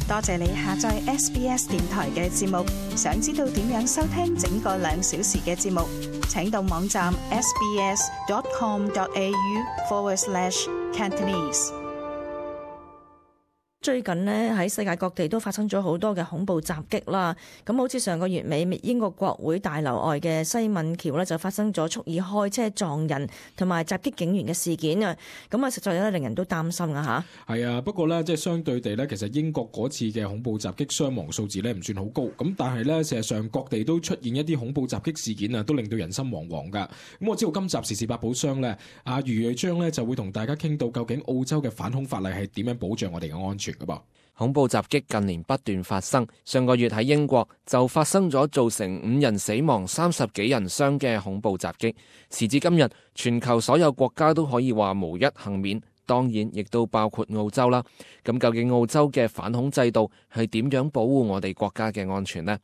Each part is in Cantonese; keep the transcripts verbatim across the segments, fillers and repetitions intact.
多謝你下載 S B S 電台嘅節目。想知道點樣收聽整個兩小時嘅節目，請到網站 sbs.com.au forward slash Cantonese。最近呢，喺世界各地都發生咗好多嘅恐怖襲擊啦，咁好似上個月尾英國國會大樓外嘅西敏橋呢，就發生咗蓄意開車撞人同埋襲擊警員嘅事件啊，咁啊實在咧令人都擔心啊吓。係啊，不過呢，即係相對地呢，其實英國嗰次嘅恐怖襲擊傷亡數字呢唔算好高，咁但係呢，事實上各地都出現一啲恐怖襲擊事件啊，都令到人心惶惶噶。咁我知道今集時事百寶箱呢，阿余瑞章呢就會同大家傾到究竟澳洲嘅反恐法例係點樣保障我哋嘅安全。恐怖襲擊近年不斷發生，上個月喺英國就發生咗造成五人死亡、三十幾人傷嘅恐怖襲擊。時至今日，全球所有國家都可以話無一幸免，當然亦都包括澳洲啦。咁究竟澳洲嘅反恐制度係點樣保護我哋國家嘅安全呢？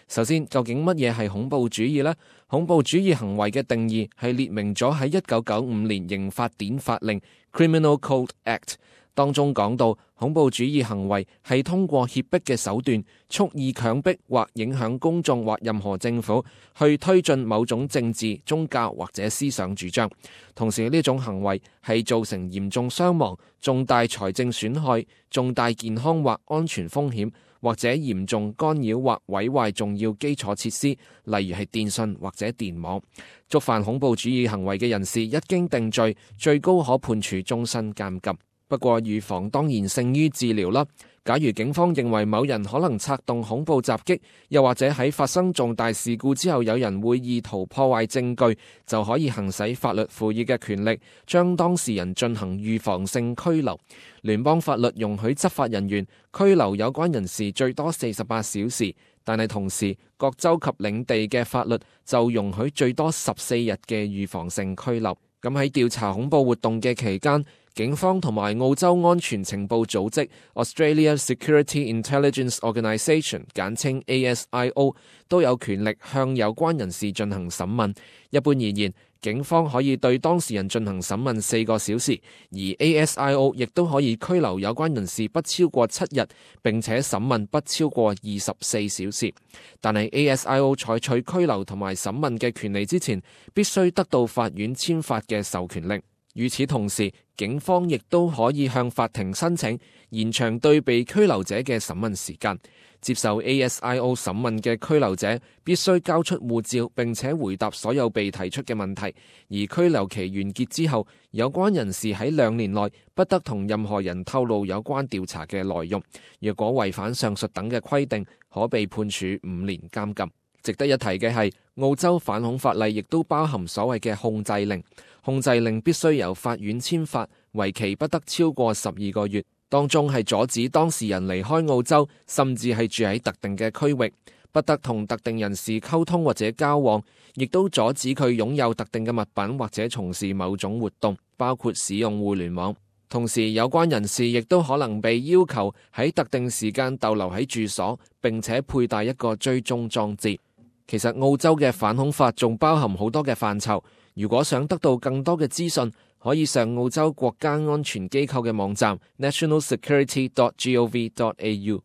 首先，究竟乜嘢係恐怖主義呢？恐怖主義行為嘅定義係列明咗喺一九九五年刑法典法令 Criminal Code Act 當中講到，恐怖主義行為係通過脅迫嘅手段，蓄意強迫或影響公眾或任何政府去推進某種政治、宗教或者思想主張。同時呢種行為係造成嚴重傷亡、重大財政損害、重大健康或安全風險，或者嚴重干擾或毀壞重要基礎設施，例如係電信或者電網。觸犯恐怖主義行為嘅人士一經定罪，最高可判處終身監禁。不過預防當然勝於治療啦。假如警方認為某人可能策動恐怖襲擊，又或者喺發生重大事故之後有人會意圖破壞證據，就可以行使法律賦予嘅權力，將當事人進行預防性拘留。聯邦法律容許執法人員拘留有關人士最多四十八小時，但係同時各州及領地嘅法律就容許最多十四日嘅預防性拘留。咁喺調查恐怖活動嘅期間，警方同埋澳洲安全情報組織 Australia Security Intelligence Organisation 簡稱 A S I O 都有權力向有關人士進行審問。一般而言，警方可以對當事人進行審問四個小時，而 A S I O 亦都可以拘留有關人士不超過七日，並且審問不超過二十四小時。但係 A S I O 採取拘留同埋審問嘅權利之前，必須得到法院簽發嘅授權令。與此同時，警方亦都可以向法庭申請延長對被拘留者嘅審問時間。接受 A S I O 審問嘅拘留者必須交出護照，並且回答所有被提出嘅問題。而拘留期完結之後，有關人士喺兩年內不得同任何人透露有關調查嘅內容。若果違反上述等嘅規定，可被判處五年監禁。值得一提嘅係，澳洲反恐法例亦都包含所謂嘅控制令。控制令必須由法院簽發，為期不得超過十二個月。當中係阻止當事人離開澳洲，甚至係住喺特定嘅區域，不得同特定人士溝通或者交往，亦都阻止佢擁有特定嘅物品或者從事某種活動，包括使用互聯網。同時，有關人士亦都可能被要求喺特定時間逗留喺住所，並且佩戴一個追蹤裝置。其實澳洲嘅反恐法仲包含好多嘅範疇。如果想得到更多嘅資訊，可以上澳洲國家安全機構嘅網站 national security dot gov dot a u。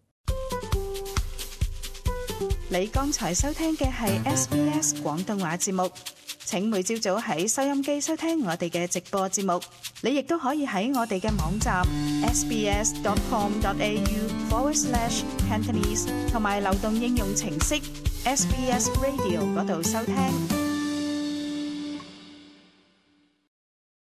你剛才收聽嘅係 S B S 廣東話節目。請每朝早喺收音機收聽我哋嘅直播節目。你亦都可以喺我哋嘅網站 s b s dot com dot a u forward slash Cantonese 同埋流動應用程式 S B S Radio 嗰度收聽。